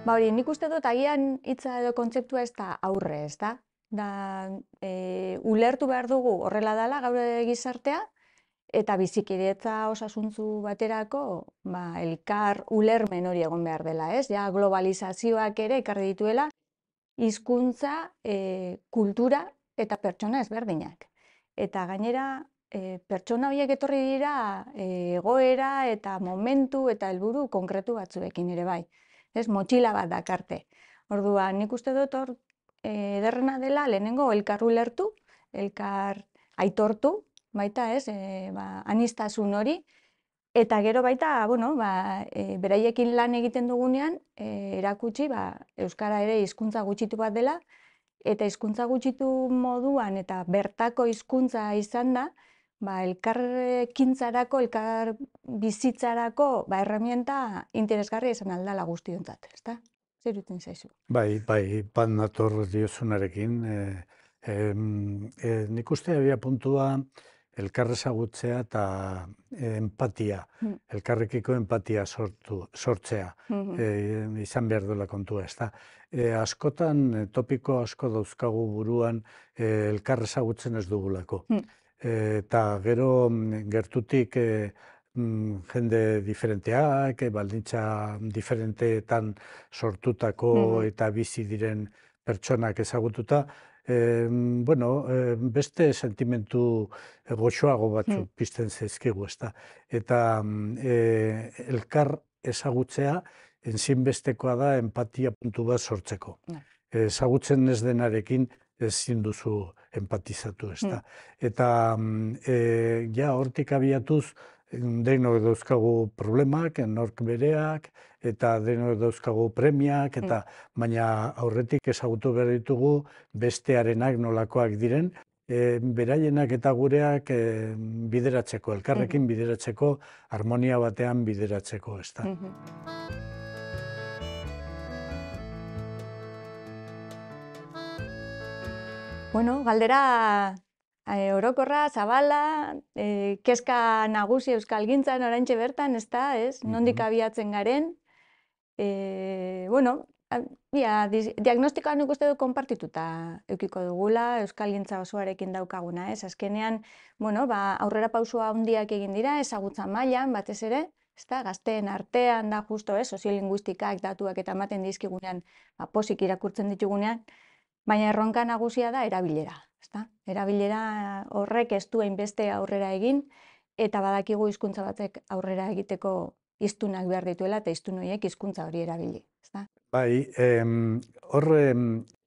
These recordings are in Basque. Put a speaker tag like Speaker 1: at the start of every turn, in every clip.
Speaker 1: Hori, nik uste dut agian hitza edo kontzeptua ez da aurre, ez da? Ulertu behar dugu horrela dela gaur gizartea, eta bizikidetza osasuntzu baterako elkar ulermen hori egon behar dela, ez? Ja, globalizazioak ere ekarri dituela, hizkuntza, kultura eta pertsona ezberdinak. Eta gainera, pertsona horiek etorri dira egoera eta momentu eta helburu konkretu batzuekin ere bai. Ez, motxila bat dakarte. Orduan, nik uste dut hor ederrena dela lehenengo elkar ulertu, elkar aitortu, baita ez, aniztasun hori, eta gero baita, beraiekin lan egiten dugunean, erakutsi euskara ere hizkuntza gutxitu bat dela, eta hizkuntza gutxitu moduan eta bertako hizkuntza izan da, elkarrekintzarako, elkar bizitzarako herramienta interesgarria izan aldala guztiontzat, ezta? Zer iruditzen zaizu?
Speaker 2: Bai, bat nator diozunarekin. Nik uste abia puntua elkar ezagutzea eta empatia, elkarrekiko empatia sortzea, izan behar duela kontua, ezta? Askotan, topiko asko dauzkagu buruan elkar ezagutzen ez dugulako. Eta gero gertutik jende diferenteak, baldintza diferenteetan sortutako eta bizi diren pertsonak ezagututa, beste sentimentu goxoago batzuk pizten zaizkigu, ezta. Eta elkar ezagutzea ezinbestekoa da enpatia puntu bat sortzeko. Ezagutzen ez denarekin ezin duzu empatizatu, ezta. Eta ja hortik abiatuz, denok dauzkagu problemak, nork bereak, eta denok dauzkagu premiak, eta baina aurretik ezagutu behar ditugu bestearenak nolakoak diren, beraienak eta gureak bideratzeko, elkarrekin bideratzeko, harmonia batean bideratzeko, ezta.
Speaker 1: Bueno, galdera orokorra, zabala, kezka nagusi euskalgintzan oraintxe bertan, ez da, ez? Nondik abiatzen garen. Diagnostikoa nik uste dut konpartituta eukiko dugula, euskalgintza osoarekin daukaguna, ez? Azkenean, aurrera pausua handiak egin dira, ezagutza mailan batez ere, ez da, gazteen artean da justo, soziolinguistikak datuak eta ematen dizkigunean, posik irakurtzen ditugunean, baina erronka nagusia da erabilera. Erabilera horrek ez du hainbeste aurrera egin, eta badakigu hizkuntza batek aurrera egiteko hiztunak behar dituela, eta hiztun horiek hizkuntza hori erabili.
Speaker 2: Bai, horre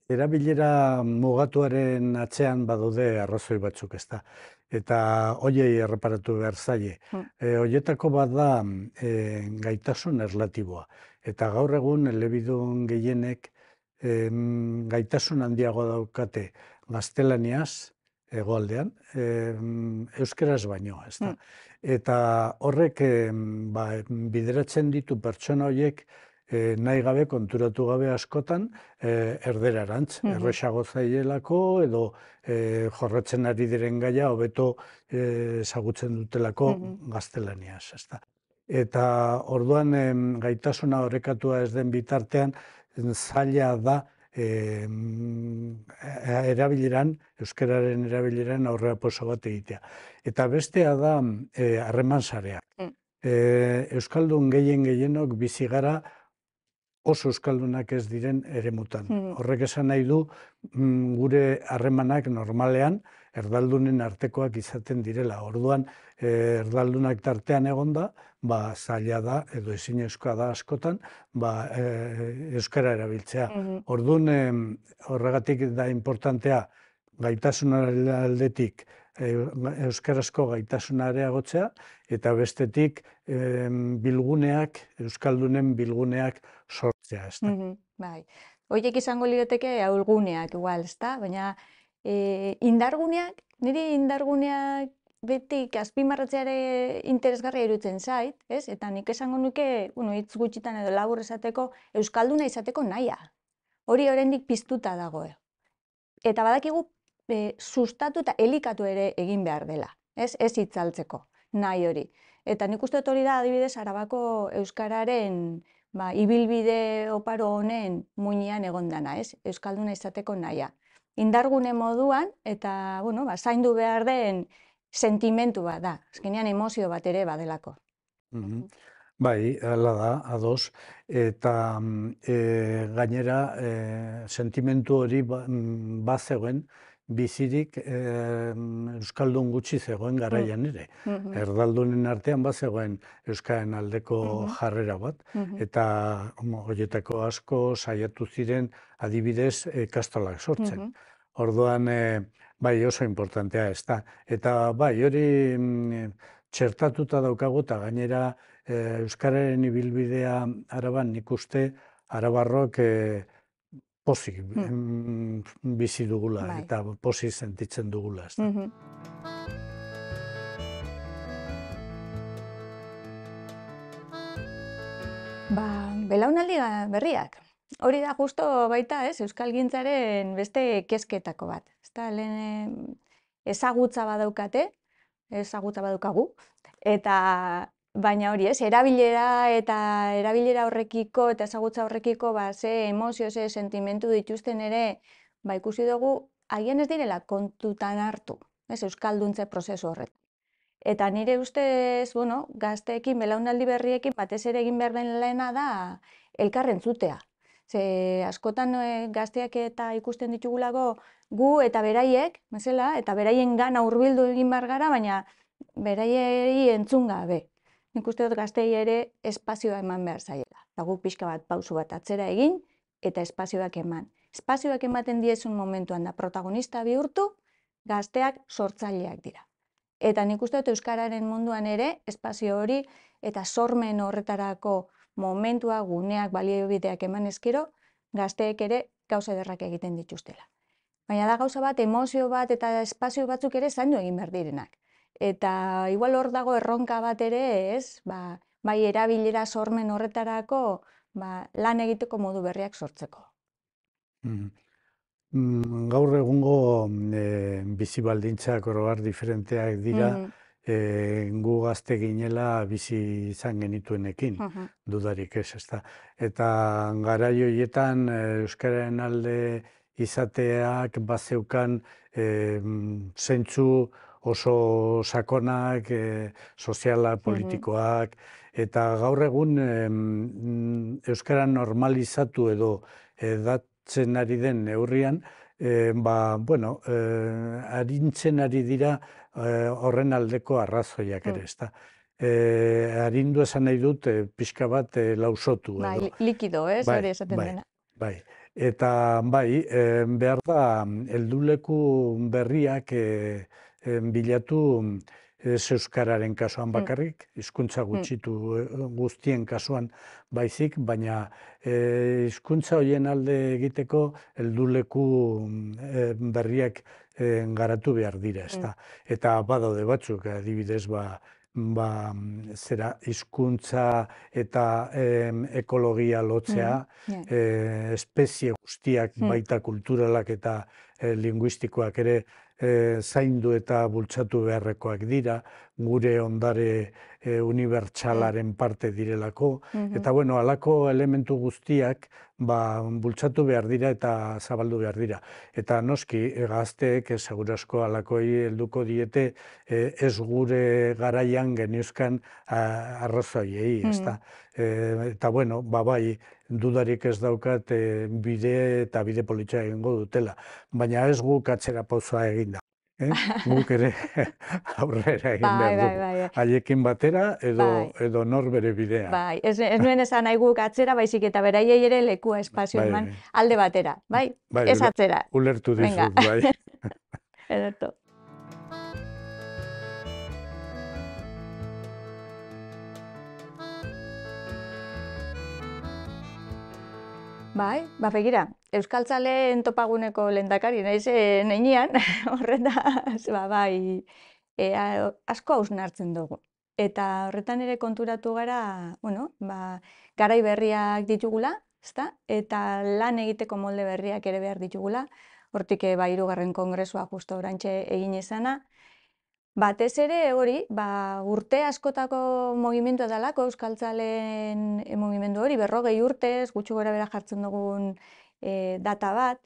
Speaker 2: erabilera mugatuaren atzean badaude arrazoi batzuk, ezta. Eta hoiei erreparatu behar zaie. Hoietako bat da gaitasun erlatiboa. Eta gaur egun elebidun gehienek gaitasun handiago daukate gaztelaniaz, hegoaldean, euskeraz baino, ezta. Eta horrek bideratzen ditu pertsona horiek nahi gabe, konturatu gabe askotan, erderarantz, erresago zaielako edo jorratzen ari diren gaia hobeto ezagutzen dutelako gaztelaniaz, ezta. Eta orduan gaitasuna orekatua ez den bitartean, zaila da euskararen erabileran aurrera pauso bat egitea. Eta bestea da harreman sareak. Euskaldun gehienok bizi gara oso euskaldunak ez diren eremutan. Horrek esan nahi du gure harremanak normalean erdaldunen artekoak izaten direla. Orduan erdaldunak tartean egonda, zaila da edo ezinezkoa da askotan euskara erabiltzea. Orduan horregatik da importantea gaitasunaren aldetik euskarazko gaitasuna areagotzea, eta bestetik bilguneak, euskaldunen bilguneak sortzea, ezta.
Speaker 1: Bai, horiek izango lirateke ahulguneak igual, ezta? Baina indarguneak, niri indarguneak betik azpimarratzeare interesgarria iruditzen zait, ez? Eta nik esango nuke, hitz gutxitan edo labur esateko, euskalduna izateko nahia. Hori oraindik piztuta dago. Eta badakigu sustatu eta elikatu ere egin behar dela, ez hitzaltzeko nahi hori. Eta nik uste dut hori da adibidez Arabako euskararen ibilbide oparo honen muinean egon dana, ez? Euskalduna izateko nahia. Indargune moduan eta, zaindu behar den sentimentu bat da, azkenean emozio bat ere badelako.
Speaker 2: Bai, hala da, ados, eta gainera sentimentu hori bazegoen, bizirik Euskaldun gutxi zegoen garaian ere. Erdaldunen artean bazegoen Euskaren aldeko jarrera bat, eta horietako asko saiatu ziren adibidez ikastolak sortzen. Orduan, bai, oso importantea ez da. Eta bai, hori txertatuta daukagu eta gainera Euskararen ibilbidea Araban nik uste arabarrok pozik bizi dugula eta pozik sentitzen dugula.
Speaker 1: Belaunaldi berriak. Hori da justo baita, ez, euskalgintzaren beste kezketako bat. Lehen ezagutza badaukagu, eta baina hori, ez, erabilera horrekiko eta ezagutza horrekiko ze emozio, ze sentimentu dituzten ere, ikusi dugu, agian ez direla kontutan hartu, ez, euskalduntze prozesu horretan. Eta nire ustez, gazteekin, belaunaldi berriekin, batez ere egin behar den lehena da elkarren zutea. Ze askotan gazteak eta ikusten ditugulago gu eta beraiek, eta beraien gana hurbildu egin behar gara, baina beraiei entzun gabe. Nik uste dut gaztei ere espazioa eman behar zaiela. Eta guk pixka bat pausu bat atzera egin eta espazioak eman. Espazioak ematen diezun momentuan da protagonista bihurtu, gazteak sortzaileak dira. Eta nik uste dut euskararen munduan ere espazio hori eta sormen horretarako momentua, guneak, baliobideak eman ezkero, gazteek ere gauza ederrak egiten dituztela. Baina da gauza bat, emozio bat eta espazio batzuk ere zaindu egin behar direnak. Eta igual hor dago erronka bat ere, ez, bai erabilera sormen horretarako lan egiteko modu berriak sortzeko.
Speaker 2: Gaur egungo bizi baldintzak oroar diferenteak dira, gu gazte ginela bizi izan genituenekin, dudarik ez, ezta. Eta garai horietan euskararen alde izateak bazeukan zentzu oso sakonak, sozialak, politikoak, eta gaur egun euskara normalizatu edo edatzen ari den neurrian, arintzen ari dira horren aldeko arrazoiak ere, ezta. Arindu esan nahi dut pixka bat lausotu edo.
Speaker 1: Bai, likido, ez, hori esaten dena.
Speaker 2: Bai, eta bai, behar da, helduleku berriak bilatu ez euskararen kasuan bakarrik, hizkuntza gutxitu guztien kasuan baizik, baina hizkuntza horien alde egiteko helduleku berriak garatu behar dira, ezta. Eta badaude batzuk, adibidez, hizkuntza eta ekologia lotzea, espezie guztiak baita kulturalak eta linguistikoak ere zaindu eta bultzatu beharrekoak dira, gure ondare unibertsalaren parte direlako, eta halako elementu guztiak bultzatu behar dira eta zabaldu behar dira. Eta noski, gazteek segurasko halakoi helduko diete ez gure garaian geniuzkan arrazoiei, ezta. Eta bai, dudarik ez daukat bide eta bide politxa egingo dutela, baina ez guk atzera pausoa eginda. Guk ere aurrera egin behar dugu. Haiekin batera edo nor bere bidea.
Speaker 1: Bai, ez nuen esan nahi guk atzera, baizik eta beraiei ere lekua espazio eman alde batera, bai? Ez atzera.
Speaker 2: Ulertu dizut, bai.
Speaker 1: Ederto. Bai, begira, euskaltzaleen topaguneko lehendakari naiz neinean, horretaz, asko hausnartzen dugu. Eta horretan ere konturatu gara, garai berriak ditugula, eta lan egiteko molde berriak ere behar ditugula, hortik 3. Kongresua justo orantxe egin izana, Batez ere hori, urte askotako mugimendua dalako, euskaltzaleen mugimendu hori, 40 urtez, gutxi gora bera jartzen dugun data bat,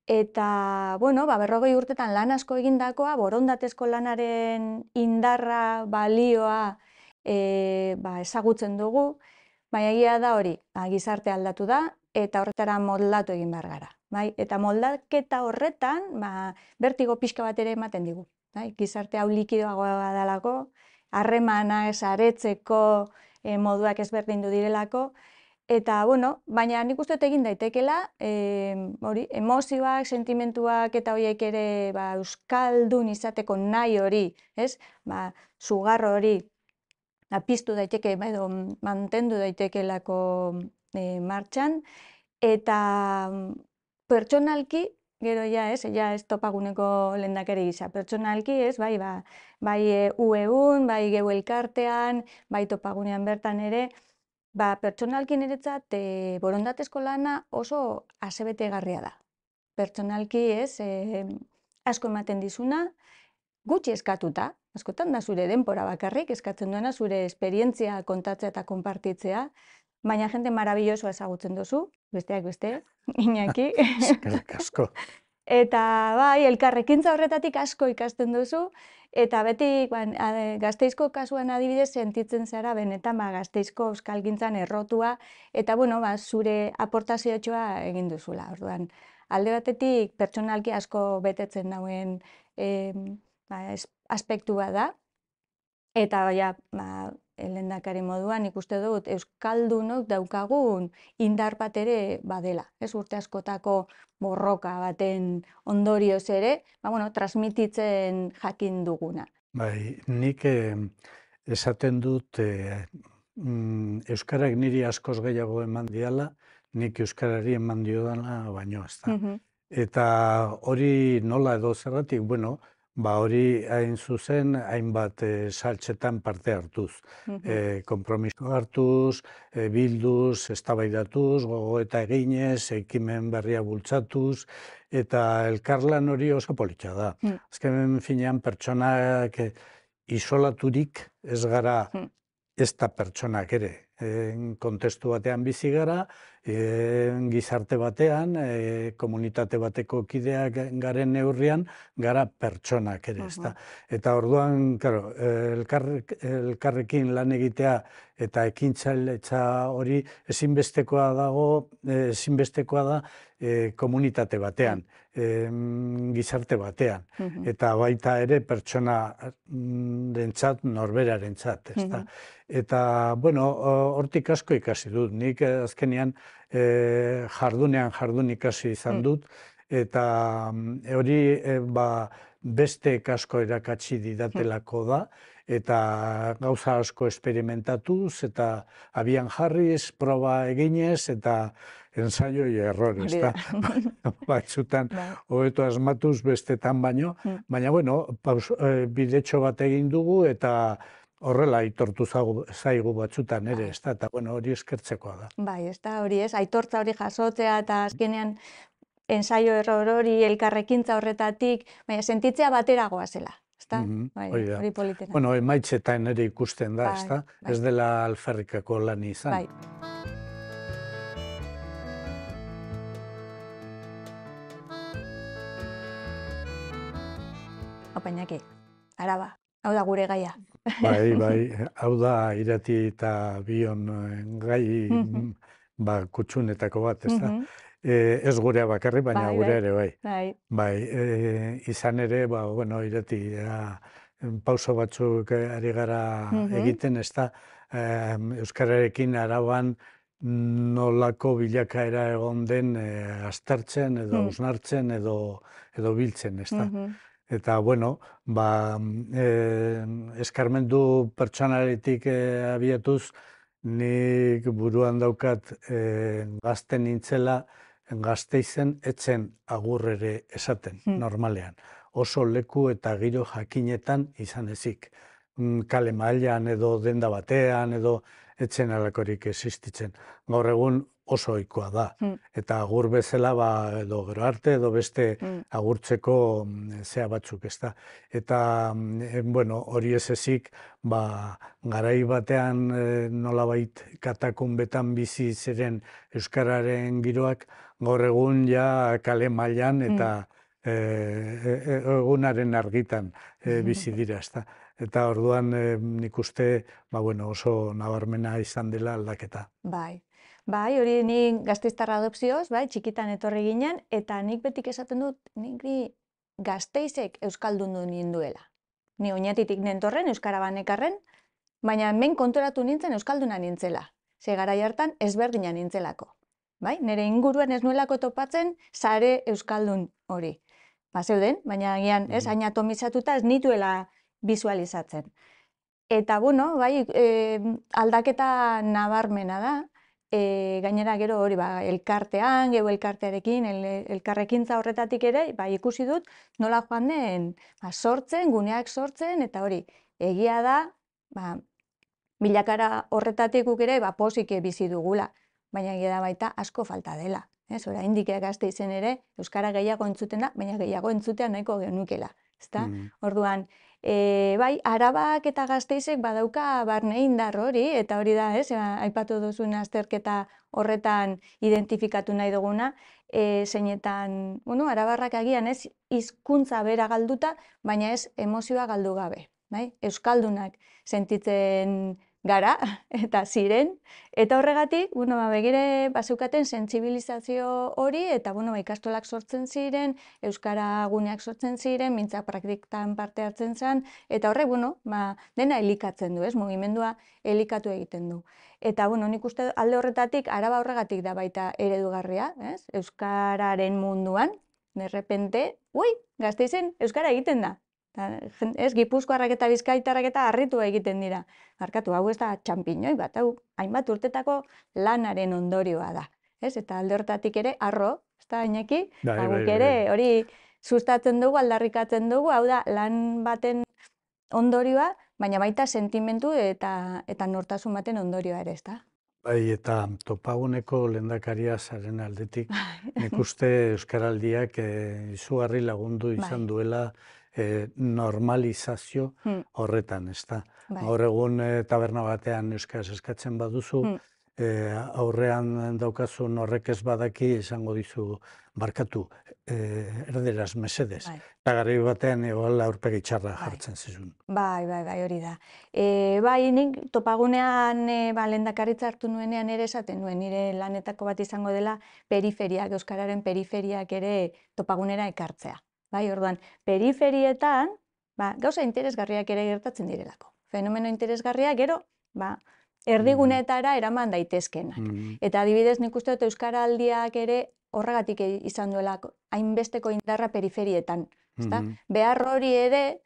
Speaker 1: eta, 40 urtetan lan asko egindakoa, borondatezko lanaren indarra, balioa ezagutzen dugu, baina egia da hori, gizarte aldatu da, eta horretara moldatu egin behar gara. Eta moldaketa horretan, bertigo pixka bat ere ematen digu. Gizarte hau likidoagoa dalako, harremana saretzeko moduak ezberdindu direlako, eta, baina nik uste dut egin daitekela, emozioak, sentimentuak eta horiek ere euskaldun izateko nahi hori, sugar hori, piztu daiteke, edo mantendu daitekelako martxan, eta pertsonalki, gero ez topaguneko lehendakari gisa, pertsonalki bai UEun, bai geu elkartean, bai topagunean bertan ere, pertsonalki niretzat borondatezko lana oso asebetegarria da. Pertsonalki asko ematen dizuna, gutxi eskatuta, askotan da zure denbora bakarrik, eskatzen duena zure esperientzia kontatzea eta konpartitzea, baina jende marabillosoa ezagutzen duzu, besteak beste, Iñaki.
Speaker 2: Eskerrik asko.
Speaker 1: Eta elkarrekintza horretatik asko ikasten duzu, eta beti Gasteizko kasuan adibidez sentitzen zara benetan Gasteizko euskalgintzan errotua, eta zure aportazioa egin duzula. Orduan, alde batetik pertsonalki asko betetzen dauen aspektua da, eta lehendakari moduan ikuste dut euskaldunok daukagun indar bat ere badela. Urte askotako borroka baten ondorioz ere, transmititzen jakin duguna.
Speaker 2: Nik esaten dut euskarak niri askoz gehiago eman diala, nik euskarari eman diodana baino, ez da. Eta hori nola edo zergatik, hori hain zuzen, hainbat saltxetan parte hartuz. Konpromiso hartuz, bilduz, eztabaidatuz, gogoeta eginez, ekimen berria bultzatuz, eta elkarlan hori oso politxa da. Azken finean pertsonak isolaturik ez gara ez da pertsonak ere. Kontestu batean bizi gara, gizarte batean, komunitate bateko kideak garen neurrian, gara pertsonak ere, ezta. Eta orduan, elkarrekin lan egitea eta ekintzailetza hori ezinbestekoa da komunitate batean, gizarte batean, eta baita ere pertsonarentzat, norberarentzat, ezta. Eta, hortik asko ikasi dut, nik azkenean jardun ikasi izan dut, eta hori beste asko erakatsi didatelako da, eta gauza asko esperimentatuz, eta abian jarriz, proba eginez, eta ensaio y error, ezta. Batzutan hobeto asmatuz bestetan baino, baina, bidetxo bat egin dugu, eta horrela aitortu zaigu batzutan ere, ezta, eta hori eskertzekoa da.
Speaker 1: Bai, ezta, hori ez, aitortza hori jasotzea, eta azkenean ensaio error hori, elkarrekintza horretatik, baina sentitzea bateragoa zela, ezta? Hori politena.
Speaker 2: Emaitzetan ere ikusten da, ezta? Ez dela alferrikako lan izan.
Speaker 1: Bai. Opa, Iñaki, Araba, hau da gure gaia.
Speaker 2: Bai, hau da irati eta bion gai kutxunetako bat, ezta? Ez gurea bakarri, baina gure ere bai. Izan ere, irati, pauso batzuk ari gara egiten, ezta? Euskararekin Araban nolako bilakaera egon den aztertzen edo hausnartzen edo biltzen, ezta? Eta, eskarmentu pertsonaletik abiatuz, nik buruan daukat gazte nintzela, Gasteizen etzen agur ere esaten, normalean. Oso leku eta giro jakinetan izan ezik. Kale mailan edo denda batean edo etzen alakorik existitzen. Gaur egun oso ohikoa da. Eta agur bezala, edo gero arte, edo beste agurtzeko zea batzuk, ezta. Eta, bueno, hori ez ezik, garai batean nolabait katakunbetan bizi ziren euskararen giroak, gaur egun ja kale mailan eta egunaren argitan bizi dira, ezta. Eta orduan nik uste oso nabarmena izan dela aldaketa.
Speaker 1: Bai, hori nik gasteiztarra adopzioz, txikitan etorri ginen, eta nik betik esaten dut, niri Gasteizek euskaldundu ninduela. Ni oinatitik nentorren, euskara banekarren, baina hemen konturatu nintzen euskalduna nintzela. Ze garai hartan ezberdina nintzelako. Nire inguruan ez nuelako topatzen sare euskaldun hori. Zeuden, baina agian, hain atomizatuta ez nituela bisualizatzen. Eta, bueno, aldaketa nabarmena da, gainera gero hori, elkartean, gero elkartearekin, elkarrekintza horretatik ere, ikusi dut nola joan den sortzen, guneak sortzen, eta hori, egia da, bilakara horretatik guk ere pozik bizi dugula, baina egia da baita asko falta dela. Oraindik Gasteizen ere, euskara gehiago entzuten da, baina gehiago entzutea nahiko genukela. Orduan, Arabak eta Gasteizek badauka barne indar hori, eta hori da, aipatu duzun azterketa horretan identifikatu nahi duguna, zeinetan, arabarrak agian ez hizkuntza bera galduta, baina ez emozioa galdu gabe. Euskaldunak sentitzen gara, eta ziren, eta horregatik, begire bazeukaten sentsibilizazio hori, eta ikastolak sortzen ziren, euskara guneak sortzen ziren, mintzak praktikan parte hartzen zen, eta horrek, dena elikatzen du, mugimendua elikatu egiten du. Eta, nik uste alde horretatik, Araba horregatik da baita eredugarria, euskararen munduan, derrepente, Gasteizen euskara egiten da. Gipuzkoarrak eta bizkaitarrak eta harritu egiten dira. Barkatu, hau ez da txanpiñoi bat, hau hainbat urtetako lanaren ondorioa da. Eta alde horretatik ere, arro, ez da, Iñaki? Guk ere hori sustatzen dugu, aldarrikatzen dugu, hau da, lan baten ondorioa, baina baita sentimentu eta nortasun baten ondorioa ere, ez da?
Speaker 2: Eta topaguneko lehendakaria zaren aldetik, nik uste Euskaraldiak izugarri lagundu izan duela normalizazio horretan, ez da. Gaur egun taberna batean euskaraz eskatzen baduzu, aurrean daukazun horrek ez badaki esango dizu barkatu, erderaz mesedez. Eta garai batean aurpegi txarra jartzen zizun.
Speaker 1: Bai, hori da. Nik topagunean lehendakaritza hartu nuenean ere esaten nuen, nire lanetako bat izango dela periferiak, euskararen periferiak ere topagunera ekartzea. Orduan, periferietan, gauza interesgarriak ere gertatzen direlako. Fenomeno interesgarriak gero, erdiguneetara eraman daitezkenak. Eta adibidez nik uste dut Euskaraldiak ere horregatik izan duela hainbesteko indarra periferietan. Behar hori ere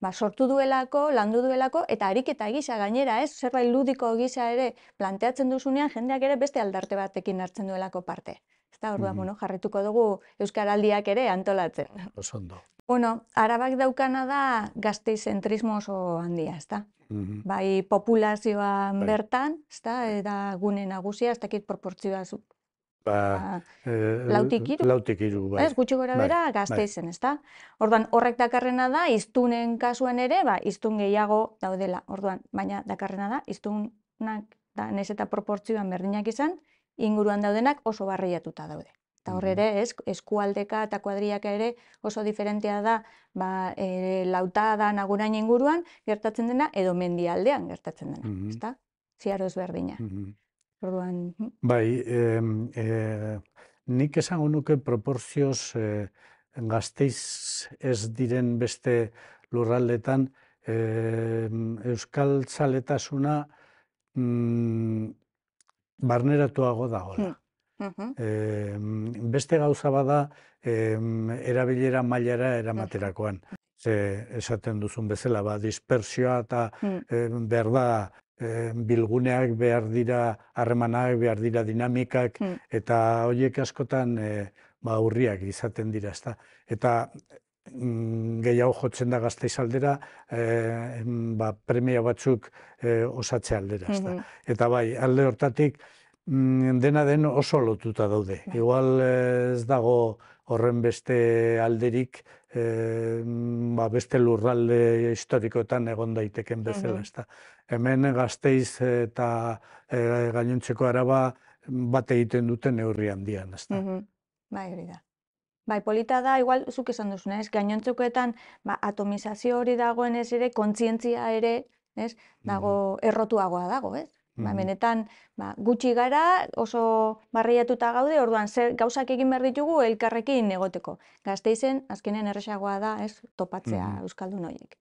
Speaker 1: sortu duelako, landu duelako, eta ariketa gisa gainera, zerbait ludiko gisa ere planteatzen duzunean, jendeak ere beste aldarte batekin hartzen duelako parte. Orduan, jarrituko dugu Euskaraldiak ere antolatzen.
Speaker 2: Osondo.
Speaker 1: Arabak daukana da gazteizentrismo oso handia, ez da? Bai populazioan bertan, ez da, eta gune nagusia, ez dakit proportzioa zu. Lautik iru?
Speaker 2: Lautik iru, bai.
Speaker 1: Gutxi gora bera Gasteizen, ez da? Orduan, horrek dakarrena da, hiztunen kasuan ere, hiztun gehiago daudela. Orduan, baina dakarrena da, hiztunak, nahiz eta proportzioan berdinak izan, inguruan daudenak oso barreiatuta daude. Eta horre ere, eskualdeka eta kuadriaka ere oso diferentea da Lautada Nagurain inguruan gertatzen dena edo Mendialdean gertatzen dena, ezta? Ziaro ezberdina. Orduan...
Speaker 2: Bai, nik esango nuke proporzioz Gasteiz ez diren beste lurraldetan euskal zaletasuna barneratuago dagoela. Beste gauza bada erabilera mailara eramaterakoan. Esaten duzun bezala, dispersioa eta behar da bilguneak behar dira, harremanak behar dira dinamikak, eta horiek askotan urriak izaten dira. Eta gehiago jotzen da Gasteiz aldera, premia batzuk osatze aldera, ezta. Eta bai, alde hortatik, dena den oso lotuta daude. Igual ez dago horren beste alderik, beste lurralde historikoetan egon daiteken bezala, ezta. Hemen Gasteiz eta gainontzeko Araba bat egiten duten neurri handian, ezta.
Speaker 1: Bai, hori da. Bai, polita da, igual, zuk esan duzuna, ez? Gainontzekoetan, atomizazio hori dagoenez ere, kontzientzia ere, ez? Dago, errotuagoa dago, ez? Benetan, gutxi gara, oso barriatuta gaude, orduan, gauzak egin behar ditugu elkarrekin egoteko. Gasteizen, azkenean erresagoa da, ez? Topatzea euskaldun horiek.